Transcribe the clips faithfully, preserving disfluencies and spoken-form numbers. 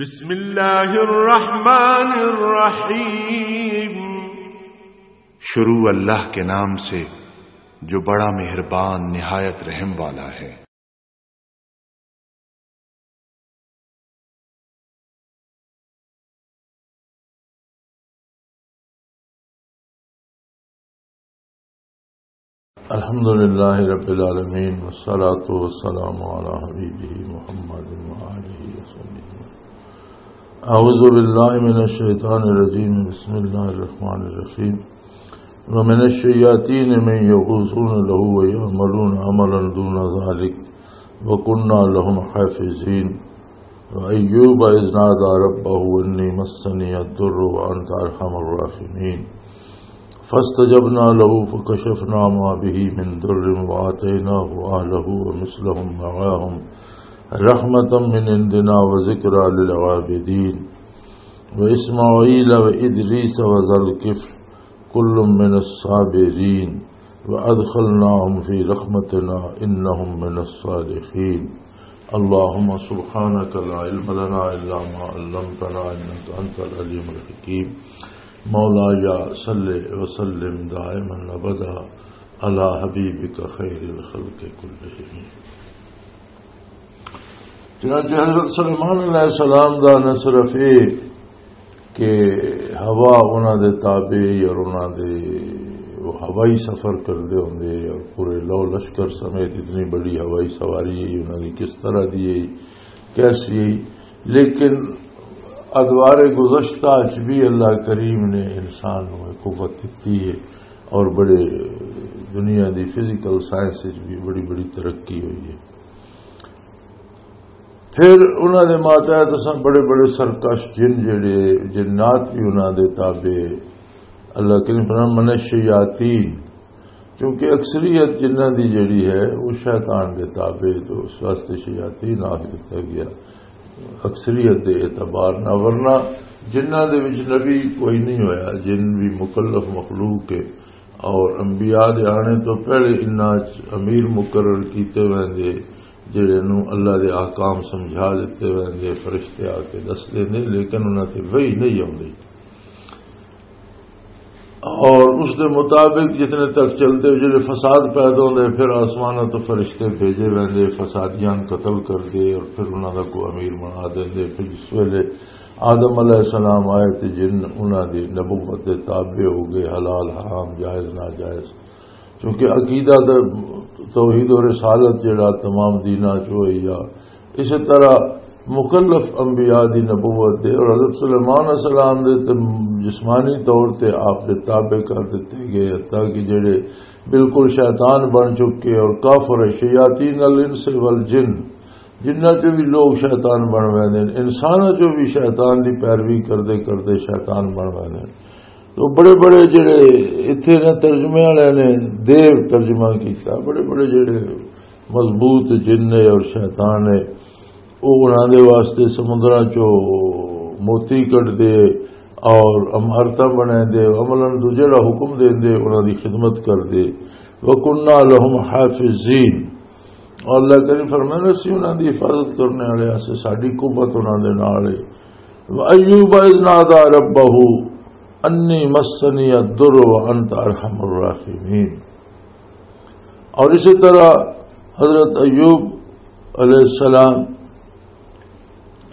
بسم اللہ الرحمن الرحیم۔ شروع اللہ کے نام سے جو بڑا مہربان نہایت رحم والا ہے۔ الحمد لله رب العالمين، والصلاة والسلام على حبيبه محمد وآله وصحبه. أعوذ بالله من الشيطان الرجيم. بسم الله الرحمن الرحيم. ومن الشياطين من يغوصون له ويعملون عملا دون ذلك وكنا لهم حافظين. وأيوب إذ نادى ربه أني مسني الضر وأنت أرحم الراحمين. فاستجبنا له فكشفنا ما به من ضر وآتيناه أهله ومثلهم معهم رحمة من عندنا وذكرى للعابدين. وإسماعيل وإدريس وذا الكفل كل من الصابرين وأدخلناهم في رحمتنا إنهم من الصالحين. اللهم سبحانك لا علم لنا إلا ما علمتنا إنك أنت العليم الحكيم. مولاي صل وسلم دائما أبدا على حبيبك خير الخلق كلهم. چنانچہ حضرت سلیمان علیہ السلام دا نہ صرف یہ کہ ہوا انہاں دے تابع اور انہاں دے، وہ ہوائی سفر کردے ہوندے اور پورے لو لشکر سمیت اتنی بڑی ہوائی سواری ہے، انہاں دی کس طرح دی ہے، کیسی ہے، لیکن ادوار گزشتہ اچ بھی اللہ کریم نے انسان نوں ایک قوت دتی ہے اور بڑے دنیا دی فزیکل سائنس وچ بھی بڑی بڑی ترقی ہوئی ہے۔ پھر انہاں دے ماتحت اساں بڑے بڑے سرکش جن جڑے، جنات بھی انہاں دے تابع۔ اللہ کریم فرمایا، "من الشیاطین"، کیونکہ اکثریت جنہاں دی جڑی ہے وہ شیطان دے تابع، تو اس واسطے شیاطین آخ دتا گیا اکثریت دے اعتبار نہ، ورنہ جنہاں دے وچ نبی کوئی نہیں ہویا، جن بھی مکلف مخلوق ہے، اور انبیاء دے آنے تو پہلے انہاں چ امیر مقرر کیتے ویندے، جڑے نوں اللہ دے احکام سمجھا دتے ویندے، فرشتے آ کے دس دیندے، لیکن انہاں تے وحی نہیں آوندی۔ اور اس دے مطابق جتنے تک چلتے، جڑے فساد پیدا ہوندے، پھر آسمانوں تو فرشتے بھیجے ویندے، فسادیاں قتل کردے اور پھر انہاں دا کوئی امیر بنا دیندے۔ پھر جس ویلے آدم علیہ السلام آئے تے جن انہاں دی نبوت دے تابع ہو گئے، حلال حرام، جائز ناجائز، کیونکہ عقیدہ تے توحید و رسالت جڑا تمام دیناں چ ہوئی آ۔ اسی طرح مکلف انبیاء دی نبوت دے اور حضرت سلیمان علیہ السلام دے تے جسمانی طور تے آپ دے تابع کر دتے گئے، حتیٰ کہ جڑے بالکل شیطان بن چکے اور کافر، شیاطین الانس والجن، جنہاں چوں بھی لوگ شیطان بن ویندے نے، انساناں چوں بھی شیطان دی پیروی کردے کردے شیطان بن ویندے نے۔ تو بڑے بڑے جڑے اتھے نہ ترجمے والے نے دیر ترجمہ کیتا، بڑے بڑے جڑے مضبوط جن نے اور شیطان نے، وہ انہاں دے واسطے سمندراں چوں موتی کڈ دے اور عمارتاں بنا دے، عملاً تو جڑا حکم دے دے، انہاں دی خدمت کر دے۔ وَكُنَّا لَهُمْ حَافِظِينَ۔ اور اللہ کریم فرمائے، "اسی انہاں دی حفاظت کرنے والے آسے، ساڈی قوت انہاں دے نال ہے۔" وَأَيُّوبَ إِذْ نَادَى رَبَّهُ أَنِّي مَسَّنِيَ الضُّرُّ وَأَنْتَ أَرْحَمُ الرَّاحِمِينَ۔ اور اسی طرح حضرت ایوب علیہ السلام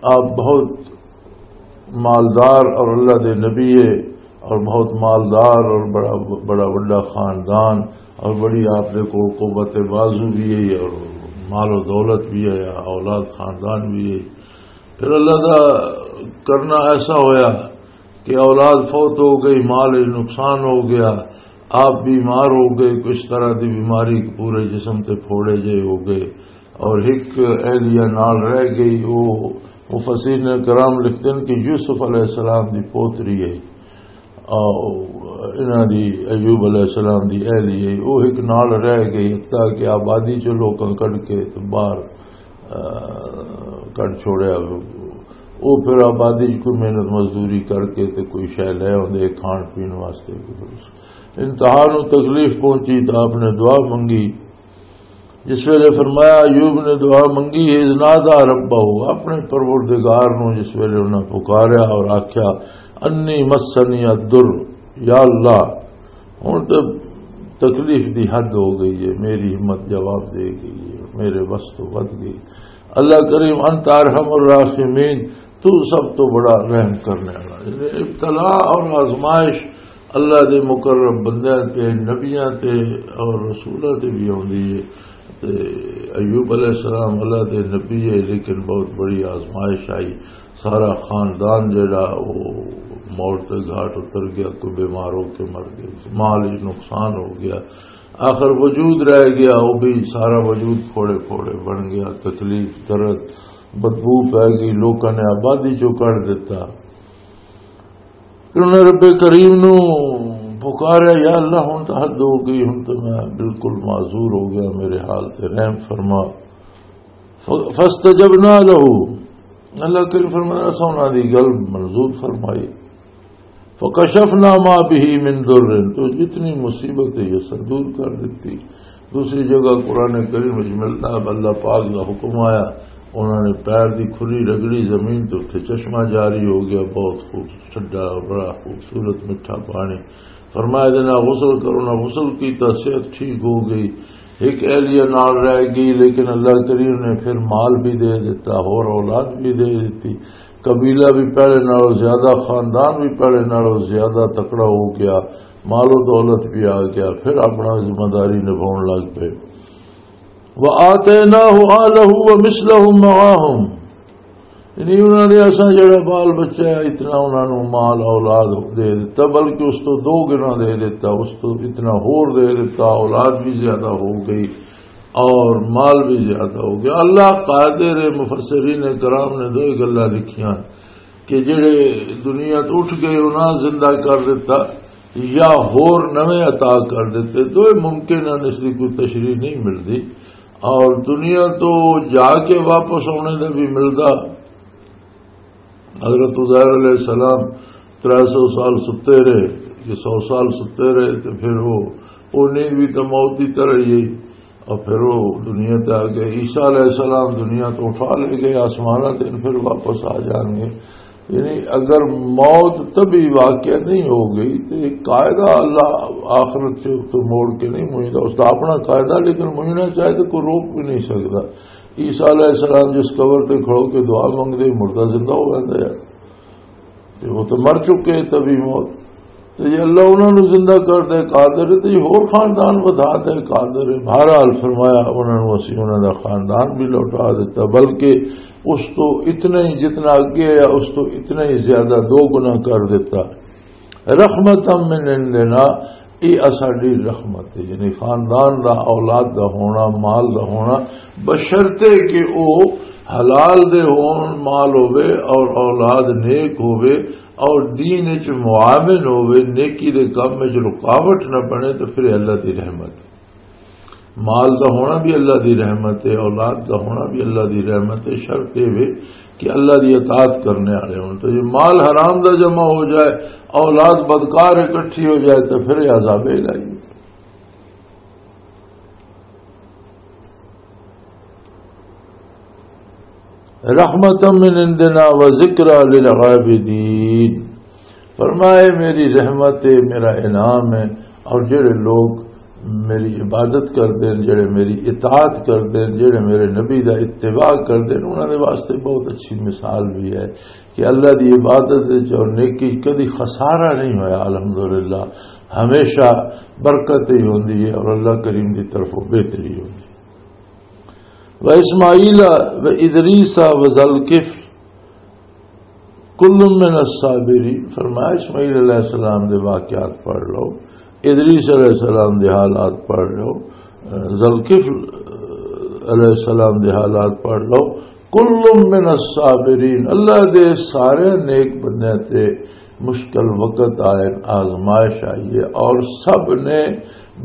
آپ بہت مالدار اور اللہ دے نبی ہے اور بہت مالدار اور بڑا، بڑا وڈا خاندان اور بڑی آپ دے کو قوت بازو بھی ہے اور مال و دولت بھی ہے، اولاد خاندان بھی ہے۔ پھر اللہ دا کرنا ایسا ہویا کہ اولاد فوت ہو گئی، مال وچ نقصان ہو گیا، آپ بیمار ہو گئے، کچھ طرح دی بیماری، پورے جسم تے پھوڑے جے ہو گئے، اور ایک اہلیہ نال رہ گئی۔ وہ مفسرین کرام لکھتے ہیں کہ یوسف علیہ السلام دی پوتری ہے، آ، انہاں دی، ایوب علیہ السلام دی اہلیہ ہے، وہ ایک نال رہ گئی، حتیٰ کہ آبادی چوں لوکاں کڈ کے تے باہر، آ، کڈ چھوڑیا۔ وہ پھر آبادی چ کوئی محنت مزدوری کر کے تے کوئی شے لے آوندے کھان پین واسطے۔ انتہا نو تکلیف پہنچی تو آپ نے دعا منگی، جس ویلے فرمایا، ایوب نے دعا منگی، اذ نادى ربه، اپنے پروردگار نو جس ویلے انہاں پکاریا اور آکھیا، انی مسنی الضر، یا اللہ، ہن تے تکلیف دی حد ہو گئی ہے، میری ہمت جواب دے گئی ہے، میرے بس تو ود گئی۔ اللہ کریم، انت ارحم الراحمین، تو سب تو بڑا رحم کرنے والا۔ یعنی ابتلا اور آزمائش اللہ دے مقرب بندیاں تے، نبیاں تے اور رسولاں تے بھی آندی ہے۔ تے ایوب علیہ السلام اللہ دے نبی ہے، لیکن بہت بڑی آزمائش آئی۔ سارا خاندان جڑا، وہ موت دے گھاٹ اتر گیا، کوئی بیمار ہو کے مر گیا، مال ہی نقصان ہو گیا، آخر وجود رہ گیا، وہ بھی سارا وجود پھوڑے پھوڑے بن گیا، تکلیف، درد، بدبو پہ گئی، لوکاں نے آبادی چوں کڈ دتا۔ پھر انہوں نے رب کریم نو پکاریا، یا اللہ، ہن تو حد ہو گئی، ہن تو میں بالکل معذور ہو گیا، میرے حال تے رحم فرما۔ ف-، فاستجبنا له، اللہ کریم فرمایا، اساں انہاں دی گل منظور فرمائی۔ فکشفنا ما به من ضر، تو جتنی مصیبت ہے، یہ سب دور کر دیتی۔ دوسری جگہ قرآن کریم وچ ملتا ہے، اللہ پاک دا حکم آیا، انہوں نے پیر دی کھری رگڑی زمین تے، اتھے چشمہ جاری ہو گیا، بہت خوب ٹھڈا، بڑا خوبصورت میٹھا پانی۔ فرمایا، دے نال غسل کرو، نہ غسل کیتا، صحت ٹھیک ہو گئی۔ ایک اہلیہ نال رہ گئی، لیکن اللہ کریم نے پھر مال بھی دے دیتا، اور اولاد بھی دے دیتی۔ قبیلہ بھی پہلے نالوں زیادہ، خاندان بھی پہلے نالوں زیادہ تکڑا ہو گیا، مال و دولت بھی آ گیا، پھر اپنا ذمہ داری نبھاؤن لگ پئے۔ وَآتَيْنَاهُ أَهْلَهُ وَمِثْلَهُمْ مَعَهُمْ، یعنی انہاں نے اساں جڑا بال بچہ ہے، اتنا انہاں نوں مال اولاد دے دتا، بلکہ اس تو دو گنا دے دتا، اس تو اتنا ہور دے دتا، اولاد بھی زیادہ ہو گئی اور مال بھی زیادہ ہو گیا۔ اللہ قادر ہے، مفسرین کرام نے دو ہی گلاں لکھیاں کہ جڑے دنیا تو اٹھ گئے، انہاں زندہ کر دیتا، یا ہور نویں عطا کر دیتے، دوئے ممکن ہیں، اس کی کوئی تشریح نہیں ملتی۔ اور دنیا تو جا کے واپس آنے دا بھی ملدا۔ حضرت عزیر علیہ السلام ترے سو سال ستے رہے، یہ سو سال ستے رہے، تو پھر وہ، وہ نیند بھی تو موت کی طرح ہی، اور پھر وہ دنیا تے آ گئے۔ عیسیٰ علیہ السلام دنیا تو اٹھا لے گئے آسمانہ تے، پھر واپس آ جان گے۔ یعنی اگر موت طبی واقعہ نہیں ہو گئی تو ایک قاعدہ اللہ آخرت کے تو موڑ کے نہیں مجھتا، اس کا اپنا قاعدہ، لیکن مجھنا چاہے تو کوئی روک بھی نہیں سکتا۔ عیسیٰ علیہ السلام جس قبر تے کھڑو کے دعا منگتے، مردہ زندہ ہو جاتا ہے۔ تے وہ تو مر چکے طبی موت۔ تے یہ اللہ انہاں نوں زندہ کر دے قادر ہے، تے یہ ہور خاندان ودھا دے قادر ہے۔ بہرحال فرمایا، انہاں نوں اسی انہاں دا خاندان بھی لوٹا دیتا، بلکہ اس تو اتنا ہی جتنا اگے ہے، اس تو اتنا ہی زیادہ دو گنا کر دیتا۔ رحمتاً من عندنا، یہ اساڈی رحمت ہے، یعنی خاندان دا، اولاد دا ہونا، مال دا ہونا، بشرطے کہ او حلال دے ہون، مال ہووے اور اولاد نیک ہووے اور دین وچ معاون ہووے، نیکی دے کم وچ رکاوٹ نہ بنے، تو پھر اللہ دی رحمت ہے۔ مال دا ہونا بھی اللہ دی رحمت ہے، اولاد دا ہونا بھی اللہ دی رحمت ہے۔ شرط یہ وے کہ اللہ دی اطاعت کرنے والے ہون۔ تو یہ مال حرام دا جمع ہو جائے، اولاد بدکار اکٹھی ہو جائے، تو پھر یہ عذاب الہی ہے۔ رحمتاً من عندنا وذکریٰ للعابدین۔ فرمائے، میری رحمت ہے، میرا انعام ہے، اور جڑے لوگ میری عبادت کر دین، جڑے میری اطاعت کر دین، جڑے میرے نبی دا اتباع کر دین، انہاں دے واسطے بہت اچھی مثال بھی ہے کہ اللہ دی عبادت وچ اور نیکی کدی خسارہ نہیں ہویا۔ الحمدللہ، ہمیشہ برکت ہی ہوندی ہے اور اللہ کریم دی طرفوں بہتری ہوندی ہے۔ و اسماعیل و ادریس و ذوالکفل کل من الصابرین۔ فرمایا، اسماعیل علیہ السلام دے واقعات پڑھ لو، ادریس علیہ السلام دے حالات پڑھ لو، ذوالکفل علیہ السلام دے حالات پڑھ لو۔ کل من الصابرین، اللہ دے سارے نیک بندے تے مشکل وقت آئے، آزمائش آئی ہے، اور سب نے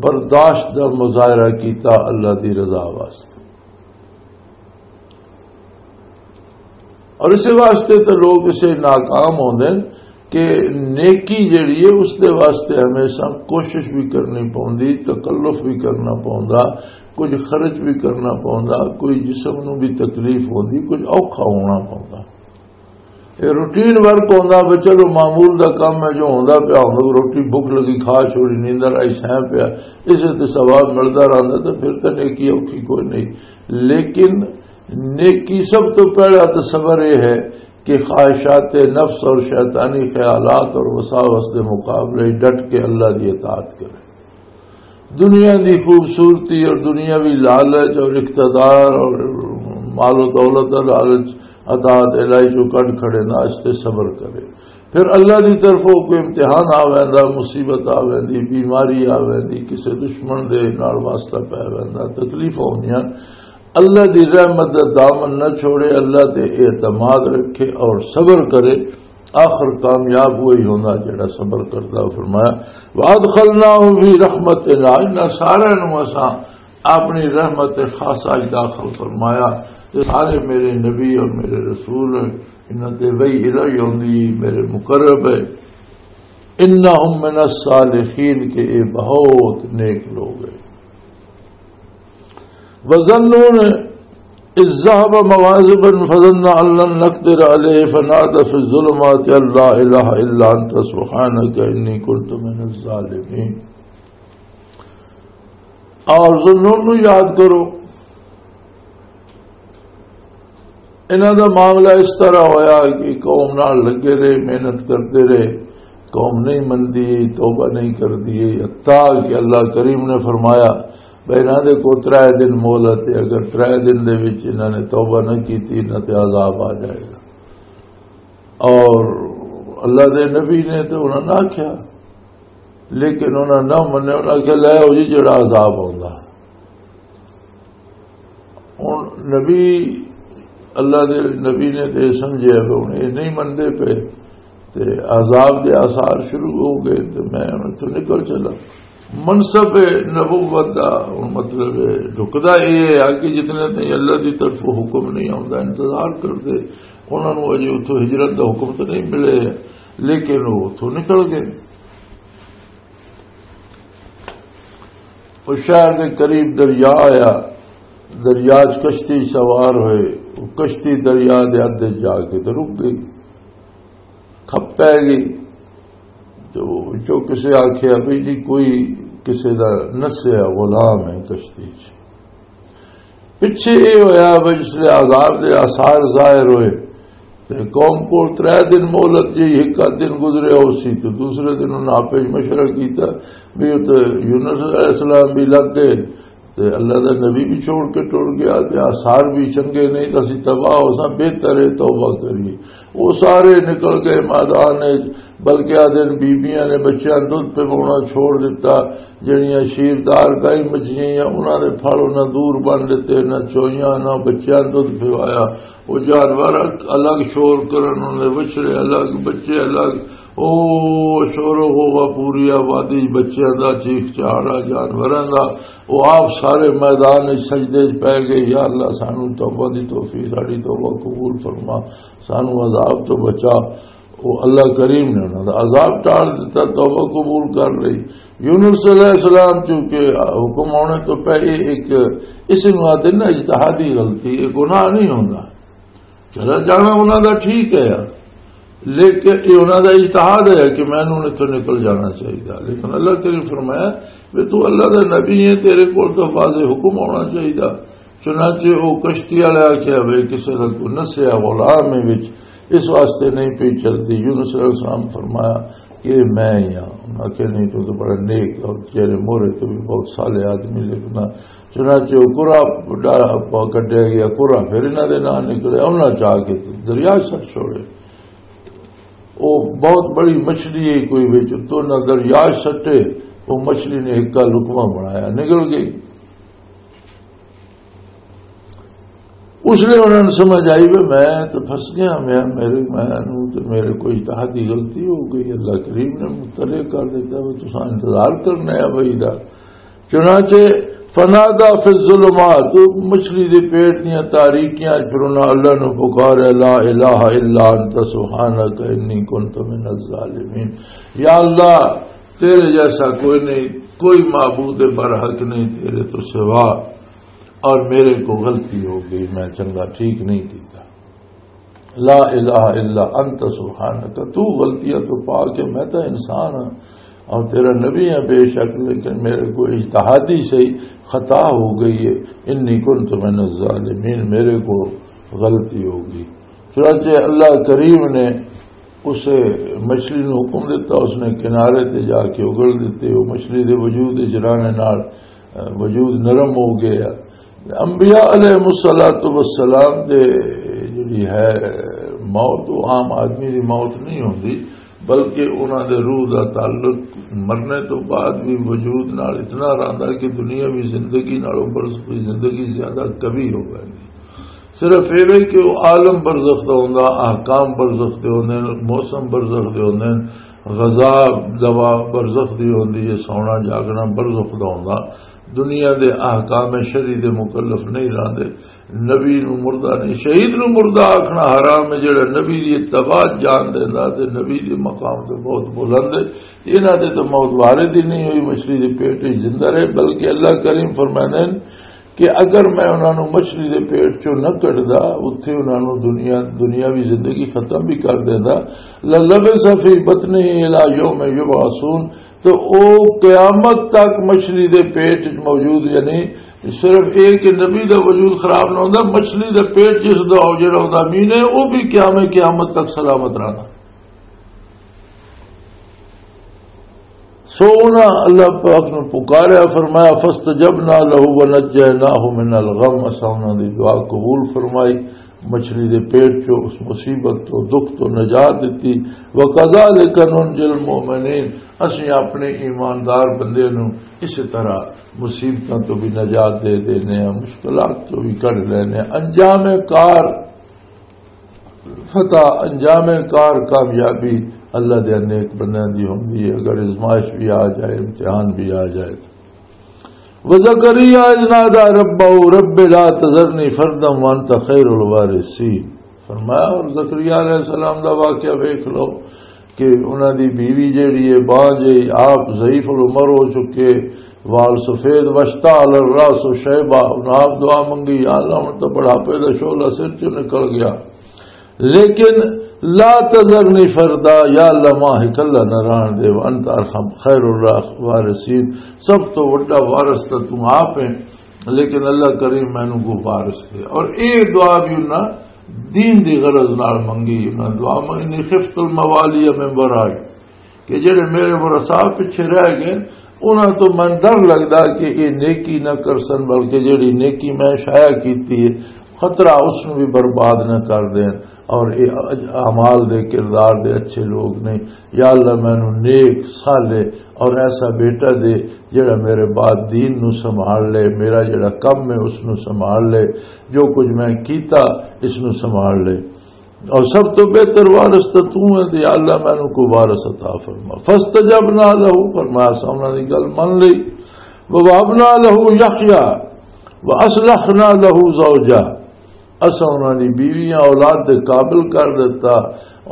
برداشت دا مظاہرہ کیتا اللہ دی رضا واسطے۔ اور اس واسطے تو لوگ اسے ناکام ہوندے نے کہ نیکی جڑی ہے، اس دے واسطے ہمیشہ کوشش بھی کرنی پوندی، تکلف بھی کرنا پوندا، کچھ خرچ بھی کرنا پوندا، کوئی جسم نو بھی تکلیف ہوندی، کچھ اوکھا ہونا پوندا۔ یہ روٹین ورک ہوندا، بھی چلو معمول دا کم ہے، جو ہوندا پیا ہوندا، روٹی بھوک لگی کھا چھوڑی، نیندر آئی سہ پیا، اسے تے ثواب ملدا رہندا، تے پھر تے نیکی اوکھی کوئی نہیں۔ لیکن نیکی سب تو پہلا تو صبر یہ ہے کہ خواہشات نفس اور شیطانی خیالات اور وساوس دے مقابلے ڈٹ کے اللہ دی اطاعت کرے۔ دنیا دی خوبصورتی اور دنیاوی لالچ اور اقتدار اور مال و دولت دا لالچ اطاعت الہی چوں کڈ کھڑے نہ، اس تے صبر کرے۔ پھر اللہ دی طرفوں کوئی امتحان آ ویندا، مصیبت آ ویندی، بیماری آ ویندی، کسے دشمن دے نال واسطہ پے ویندا، تکلیفاں ہوندیاں، اللہ دی رحمت دا دامن نہ چھوڑے، اللہ تے اعتماد رکھے اور صبر کرے، آخر کامیاب وہی ہوندا جڑا صبر کردا۔ فرمایا، "وَأَدْخَلْنَاهُمْ فِي رَحْمَتِنَا"، انہاں سارے نوں اساں اپنی رحمت خاصہ وچ داخل فرمایا۔ یہ سارے میرے نبی اور میرے رسول ہیں، انہاں تے وحی الہی ہوندی، میرے مقرب ہے۔ "إِنَّهُمْ مِنَ الصَّالِحِينَ"، کہ یہ بہت نیک لوگ ہیں۔ وَذَنُّونَ إِذْ ذَهَبَ مُغَاضِبًا فَظَنَّ أَن لَّن نَّقْدِرَ عَلَيْهِ فَنَادَىٰ فِي الظُّلُمَاتِ أَن لَّا إِلَٰهَ إِلَّا أَنتَ سُبْحَانَكَ إِنِّي كُنتُ مِنَ الظَّالِمِينَ۔ اور ذوالنون نو یاد کرو، انہاں دا معاملہ اس طرح ہویا کہ قوم نال لگے رہے، محنت کرتے رہے، قوم نہیں مندی، توبہ نہیں کردی، حتیٰ کہ اللہ کریم نے فرمایا، بھئی انہاں دے کو ترے دن مہلت ہے، اگر ترے دن دے وچ انہاں نے توبہ نہ کیتی، انہاں تے عذاب آ جائے گا۔ اور اللہ دے نبی نے تو انہاں نہ آکھیا، لیکن انہاں نہ منیا، انہاں آکھیا، "لے آؤ جی، جڑا عذاب آوندا۔" ہن نبی، اللہ دے نبی نے تے سمجھیا کہ ہن یہ نہیں مندے پے، تے عذاب دے آثار شروع ہو گئے، تے میں ہن اتھوں نکل چلا۔ منصب نبوت دا ہن مطلب ہے، ڈھکدا یہ ہے کہ جتنے تائیں اللہ دی طرفوں حکم نہیں آوندا، انتظار کردے، انہاں نوں اجے اتھوں ہجرت دا حکم تے نہیں ملے، لیکن وہ اتھوں نکل گئے۔ اس شہر دے قریب دریا آیا، دریا چ کشتی سوار ہوئے، وہ کشتی دریا دے ادھے جا کے تے رک گئی، کھپ پے گئی۔ تو جو کسے آکھیا بھی جی کوئی کسے دا نسیا غلام ہے کشتی چ۔ پچھے یہ ہویا بھی جس لے عذاب دے آثار ظاہر ہوئے، تے قوم کول ترے دن مہلت جی، ایک آدھ دن گزرے ہو سی، تے دوسرے دن انہاں آپے مشورہ کیتا بھی اتھے یونس علیہ السلام بھی لگ گئے، تے اللہ دا نبی بھی چھوڑ کے ٹر گیا، تے آثار بھی چنگے نہیں، تے اسی تباہ ہو ساں، بہتر ہے توبہ کریے۔ وہ سارے نکل گئے میدان وچ، بلکہ آ دن بیبیاں نے بچیاں دودھ پوانا چھوڑ دیتا، جڑیاں شیردار گائیں مچھیاں یا انہاں دے پھل انہاں دور بن دتے، نہ چوئیاں نہ بچیاں دودھ پوایا۔ وہ جانور الگ شور کرن، انہاں دے بچڑے الگ، بچے الگ۔ او شور و غوغا، پوری آبادی بچیاں دا، چیخ چاڑا جانوراں دا۔ وہ آپ سارے میدان وچ سجدے وچ پے گئے، "یا اللہ، سانو توبہ دی توفیق، ساڈی توبہ قبول فرما، سانو عذاب تو بچا۔" وہ اللہ کریم نے انہاں دا عذاب ٹال دیتا، توبہ قبول کر لئی۔ یونس علیہ السلام چونکہ حکم آنے تو پہلے ایک، اس نوں آتے نا اجتہادی غلطی، یہ گناہ نہیں ہوندا۔ چلا جانا انہاں دا ٹھیک ہے یار، لیکن یہ انہاں دا اجتہاد ہے کہ میں انہوں نے تو نکل جانا چاہیے۔ لیکن اللہ کریم فرمایا، "وے تو اللہ دا نبی ہے، تیرے کول تو واضح حکم ہونا چاہیے۔" چنانچہ وہ کشتی والے آکھیا، "وے کسے دا کوئی نسیا غلام ہے وچ، اس واسطے نہیں پی چلدی۔" یونس علیہ السلام فرمایا کہ میں ہی ہاں۔ انہاں آکھیا، "نہیں، تو تو بڑا نیک اور تیرے مورے تو بھی بہت صالح آدمی لکھنا۔" چنانچہ وہ قرا ڈا-، پا-، کڈیا گیا، قرا پھر انہاں دے نال نکلے، انہاں چا کے دریا سٹ چھوڑے۔ وہ بہت بڑی مچھلی ہے کوئی وچ، تو نہ دریا سٹے، وہ مچھلی نے ہکا لقمہ بنایا، نکل گئی۔ اس لیے انہوں نے سمجھ آئی، "بھی میں تو پھنس گیا، میں، میرے، میں نوں تے میرے کوئی اجتہادی غلطی ہو گئی، اللہ کریم نے مطلع کر دیتا، وہ تساں انتظار کرنا ہے بھائی دا۔" چنانچہ فنادى في الظلمات، مچھلی دے پیٹ دیاں تاریکیاں وچ پھر انہاں اللہ نوں پکاریا، لا الہ الا انت سبحانک انی کنت من الظالمین۔ یا اللہ، تیرے جیسا کوئی نہیں، کوئی معبود برحق نہیں تیرے تو سوا، اور میرے کو غلطی ہو گئی، میں چنگا ٹھیک نہیں کیتا۔ لا الہ الا انت سبحانک، تو غلطیاں تو پاک ہے، میں تو انسان ہاں اور تیرا نبی ہاں بے شک، لیکن میرے کو اجتہادی سے ہی خطا ہو گئی ہے۔ انی کنت من الظالمین، میرے کو غلطی ہو گئی۔ چنانچہ اللہ کریم نے اس مچھلی نو حکم دیتا، اس نے کنارے تے جا کے اگل دیتے، وہ مچھلی دے وجود اچ رہنے نال، اے، وجود نرم ہو گیا۔ انبیاء علیہ الصلوۃ والسلام دے جڑی ہے موت، وہ عام آدمی دی موت نہیں ہوندی، بلکہ انہاں دے روح دا تعلق مرنے تو بعد بھی وجود نال اتنا رہندا کہ دنیاوی زندگی نالوں برزخی زندگی زیادہ قوی ہو ویندی۔ صرف ایویں کہ وہ عالم برزخ دا ہوندا، احکام برزخ دے ہوندے نے، موسم برزخ دے ہوندے نے، غذا دوا برزخ دی ہوندی ہے، سونا جاگنا برزخ دا ہوندا۔ دنیا دے احکام شرعی دے مکلف نہیں رہندے۔ نبی نو مردہ نہیں، شہید نو مردہ آکھنا حرام ہے، جڑا نبی دی اتباع جان دیندا تے نبی دے مقام تے بہت بلند ہے۔ انہاں دے تو موت وارد ہی نہیں ہوئی، مچھلی دے پیٹ وچ زندہ رہے، بلکہ اللہ کریم فرماندے نے کہ اگر میں انہاں نوں مچھلی دے پیٹ چوں نہ کڈدا، اتھے انہاں نوں دنیا، دنیاوی زندگی ختم بھی کر دیندا، لَلَبِثَ فِي بَطْنِهِ إِلَى يَوْمِ يُبْعَثُونَ، تو او قیامت تک مچھلی دے پیٹ وچ موجود، یعنی صرف اے کہ نبی دا وجود خراب نہ ہوندا، مچھلی دے پیٹ جس دا ہو جڑا ہوندا مین ہے، او بھی قیام قیامت تک سلامت رہنا۔ سو انہاں اللہ پاک نو پکاریا، فرمایا، فاستجبنا له ونجيناه من الغم، اساں انہاں دی دعا قبول فرمائی، مچھلی دے پیٹ چوں اس مصیبت تو، دکھ تو نجات دتی۔ وَكَذَلِكَ نُنْجِي الْمُؤْمِنِينَ، اسیں اپنے ایماندار بندے نو اسی طرح مصیبتاں تو بھی نجات دے دینے ہیں، مشکلات تو بھی کڈ لینے ہیں۔ انجام کار فتح، انجام کار کامیابی اللہ دے نیک بندیاں دی ہوندی ہے، اگر آزمائش بھی آ جائے، امتحان بھی آ جائے تو۔ وَزَكَرِيَّا إِذْ نَادَىٰ رَبَّهُ رَبِّ لَا تَذَرْنِي فَرْدًا وَأَنتَ خَيْرُ الْوَارِثِينَ۔ فرمایا، اور زکریا علیہ السلام دا واقعہ ویکھ لو کہ انہاں دی بیوی جیڑی ہے، بانجھ ہے، آپ ضعیف العمر ہو چکے، وال سفید، وشتا علی الراس و شیبہ، انہاں آپ دعا منگی، یا اللہ، ہن تاں بڑھاپے دا شعلہ سر چوں نکل گیا، لیکن لا تذرنی فردا، یا اللہ، ماں اکلا نہ رہن دے، وانت ارحم خیر الوارثین، سب تو وڈا وارث تاں تو آپ ہیں، لیکن اللہ کریم مینوں کو وارث دے۔ اور اے دعا بھی انہاں دین دی غرض نال منگی، انہاں دعا منگی، خفت الموالی من ورائی، کہ جڑے میرے ورثاء پچھے رہ گئے، انہاں تو میں ڈر لگدا کہ یہ نیکی نہ کرسن، بلکہ جڑی نیکی میں شائع کیتی ہے، خطرہ اس نوں بھی برباد نہ کر دین۔ اور یہ اعمال دے، کردار دے اچھے لوگ نہیں۔ یا اللہ، مینوں نیک، صالح اور ایسا بیٹا دے جڑا میرے بعد دین نوں سنبھال لے، میرا جڑا کم ہے اس نوں سنبھال لے، جو کچھ میں کیتا اس نوں سنبھال لے۔ اور سب تو بہتر وارث تو تو ہے، تے یا اللہ مینوں کو وارث عطا فرما۔ فاستجبنا له، فرمایا اساں انہاں دی گل من لئی۔ ووهبنا له يحيى وأصلحنا له زوجه، اساں انہاں دی بیویاں اولاد دے قابل کر دیتا،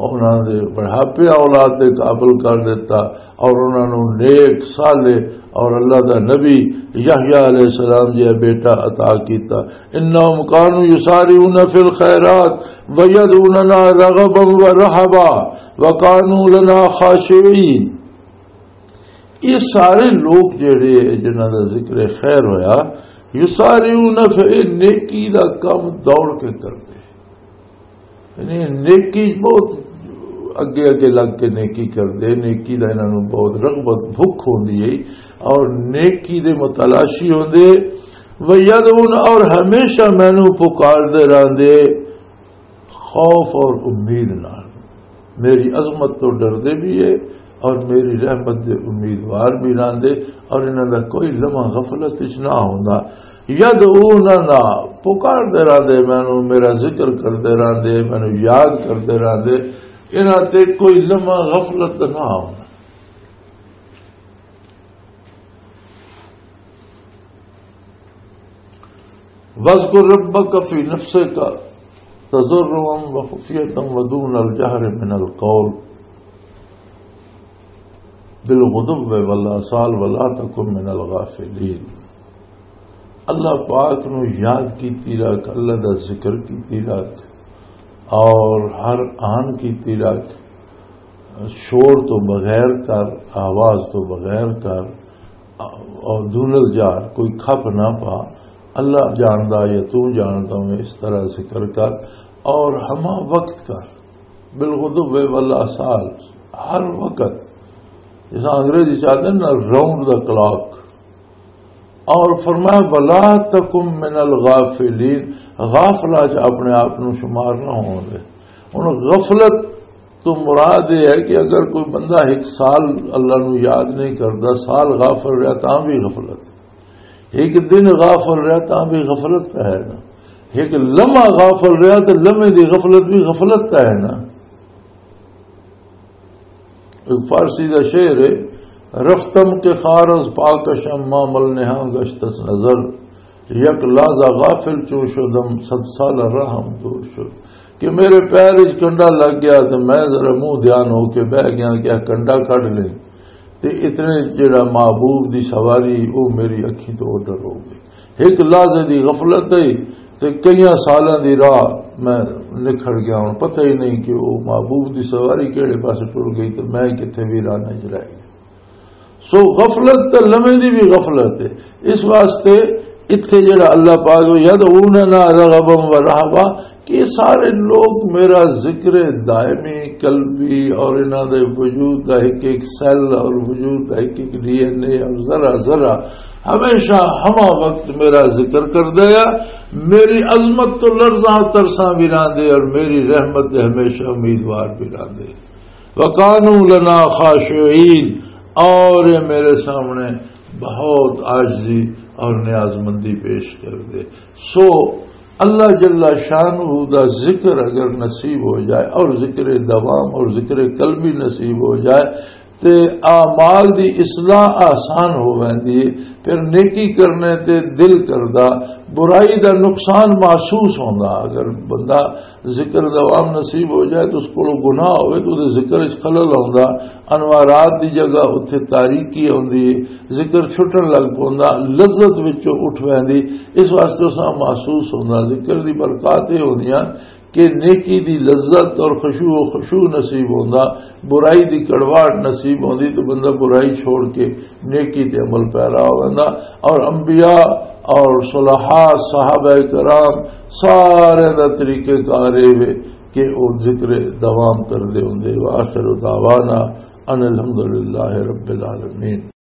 انہاں دے بڑھاپے اولاد دے قابل کر دیتا، اور انہاں نوں نیک، صالح اور اللہ دا نبی یحییٰ علیہ السلام جیہا بیٹا عطا کیتا۔ انہم کانوا یسارعون فی الخیرات ویدعوننا رغبا ورہبا وکانوا لنا خاشعین۔ یہ سارے لوگ جڑے جنہاں دا ذکر خیر ہویا، یسارعون فی، نیکی دا کم دوڑ کے کردے۔ یعنی نیکی بہت اگے اگے لگ کے نیکی کردے، نیکی دا انہاں نوں بہت رغبت، بھوک ہوندی ہے اور نیکی دے متلاشی ہوندے۔ ویدعون، اور ہمیشہ مینوں پکاردے رہندے خوف اور امید نال۔ میری عظمت تو ڈردے بھی ہے اور میری رحمت دے امیدوار بھی رہندے، اور انہاں دا کوئی لمحہ غفلت وچ نہ ہوندا۔ یدعوننا، پکاردے رہندے مینوں، میرا ذکر کردے رہندے، مینوں یاد کردے رہندے، انہاں تے کوئی لمحہ غفلت دا نہ ہونا۔ واذکر ربک فی نفسک تضرعا وخفیۃ ودون الجہر من القول بالغدو والآصال ولا تکن من الغافلین۔ اللہ پاک نو یاد کیتی رکھ، اللہ دا ذکر کیتی رکھ، اور ہر آن کیتی رکھ، شور تو بغیر کر، آواز تو بغیر کر، اور دون الجہر، کوئی کھپ نہ پا۔ اللہ جاندا یا تو جاندا میں، اس طرح ذکر کر اور ہما وقت کر، بالغدو والآصال، ہر وقت، جیسا انگریزی چاہتے ہیں نا، راؤنڈ دا کلاک۔ اور فرمایا، ولا تکم من الغافلین، غافلہ چ اپنے آپ نو شمار نہ ہون دے۔ ہن غفلت تو مراد یہ ہے کہ اگر کوئی بندہ ایک سال اللہ نو یاد نہیں کرتا، سال غافل رہا تاں بھی غفلت، ایک دن غافل رہا تاں بھی غفلت کا ہے نا، ایک لمحہ غافل رہا تو لمحے دی غفلت بھی غفلت کا ہے نا۔ ایک فارسی دا شعر ہے، رفتم کہ خار از پاکشم ما مل نہاں گشت از نظر، یک لحظہ غافل چو شدم صد سال راہم دور شد۔ کہ میرے پیر وچ کنڈا لگ گیا تے میں ذرا منہ دھیان ہو کے بہ گیا کہ کنڈا کڈ لیں، تے اتنے جڑا محبوب دی سواری او میری اکھیں تو اوڈر ہو گئی۔ ایک لحظے دی غفلت ہے تے کئیاں سالاں دی راہ میں نکھڑ گیا ہوں، پتہ ہی نہیں کہ وہ محبوب دی سواری کہڑے پاسے ٹر گئی تے میں کتھے ویرانے چ رہ گیا۔ سو غفلت تے لمحے دی بھی غفلت ہے۔ اس واسطے اتھے جڑا اللہ پاک، یدعوننا رغبا و رہبا، کہ یہ سارے لوگ میرا ذکر دائمی قلبی اور انہاں دے وجود دا ایک ایک سیل اور وجود دا ایک ایک ڈی این اے اور ذرا ذرا ہمیشہ ہما وقت میرا ذکر کر دیا، میری عظمت تو لرزاں ترساں بھی راندے اور میری رحمت دے ہمیشہ امیدوار بھی راندے۔ وَكَانُوا لَنَا خَاشِعِينَ، اور یہ میرے سامنے بہت عاجزی اور نیاز مندی پیش کر دے۔ سو اللہ جل شانہ دا ذکر اگر نصیب ہو جائے اور ذکر دوام اور ذکر قلبی نصیب ہو جائے تے اعمال دی اصلاح آسان ہو ویندی ہے۔ پھر نیکی کرنے تے دل کردا، برائی دا نقصان محسوس ہوندا۔ اگر بندہ ذکر دوام نصیب ہو جائے تو اس کو گناہ ہوئے تو دے ذکر اس خلل ہوندا، انوارات دی جگہ اتھے تاریکی ہوندی ہے، ذکر چھٹن لگ پوندا، لذت وچوں اٹھ ویندی۔ اس واسطے اس محسوس ہوندا، ذکر دی برکات یہ ہوندیاں کہ نیکی دی لذت اور خشوع و خشوع نصیب ہوندا، برائی دی کڑواہٹ نصیب ہوندی تو بندہ برائی چھوڑ کے نیکی تے عمل پیرا ہو ویندا۔ اور انبیاء اور صلحاء، صحابہ کرام، سارے دا طریقہ کار اے وے کہ او ذکر دوام کردے ہوندے۔ وآخر دعوانا ان الحمدللہ رب العالمین۔